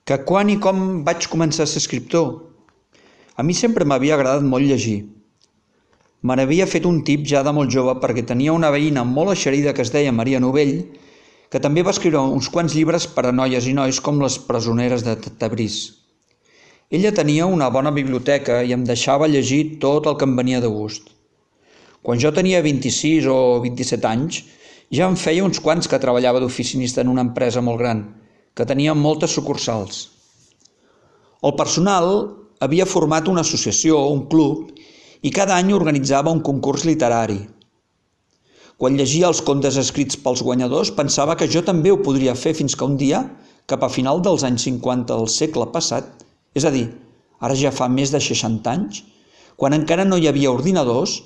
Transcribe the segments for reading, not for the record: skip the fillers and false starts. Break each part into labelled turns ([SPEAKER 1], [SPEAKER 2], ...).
[SPEAKER 1] Que quan i com vaig començar a ser escriptor? A mi sempre m'havia agradat molt llegir. Me n'havia fet un tip ja de molt jove perquè tenia una veïna molt eixerida que es deia Maria Novell, que també va escriure uns quants llibres per a noies i nois com Les presoneres de Tabriz. Ella tenia una bona biblioteca i em deixava llegir tot el que em venia de gust. Quan jo tenia 26 o 27 anys, ja em feia uns quants que treballava d'oficinista en una empresa molt gran, que tenia moltes sucursals. El personal havia format una associació, un club, i cada any organitzava un concurs literari. Quan llegia els contes escrits pels guanyadors, pensava que jo també ho podria fer fins que un dia, cap a final dels anys 50 del segle passat, és a dir, ara ja fa més de 60 anys, quan encara no hi havia ordinadors,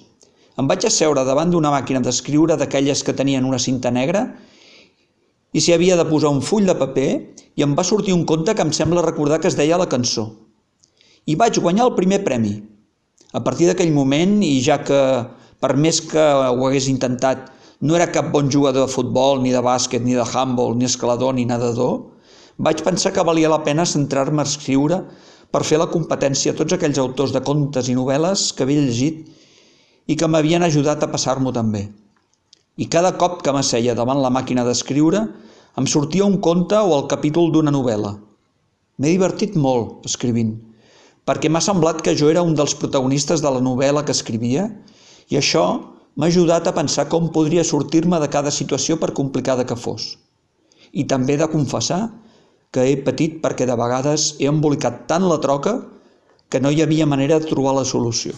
[SPEAKER 1] em vaig asseure davant d'una màquina d'escriure d'aquelles que tenien una cinta negra i s'hi havia de posar un full de paper i em va sortir un conte que em sembla recordar que es deia La cançó. I vaig guanyar el primer premi. A partir d'aquell moment, i ja que per més que ho hagués intentat, no era cap bon jugador de futbol, ni de bàsquet, ni de handbol, ni escalador, ni nedador, vaig pensar que valia la pena centrar-me a escriure per fer la competència a tots aquells autors de contes i novel·les que havia llegit i que m'havien ajudat a passar-m'ho també. I cada cop que m'asseia davant la màquina d'escriure em sortia un conte o el capítol d'una novel·la. M'he divertit molt escrivint, perquè m'ha semblat que jo era un dels protagonistes de la novel·la que escrivia i això m'ha ajudat a pensar com podria sortir-me de cada situació per complicada que fos. I també he de confessar que he patit perquè de vegades he embolicat tant la troca que no hi havia manera de trobar la solució.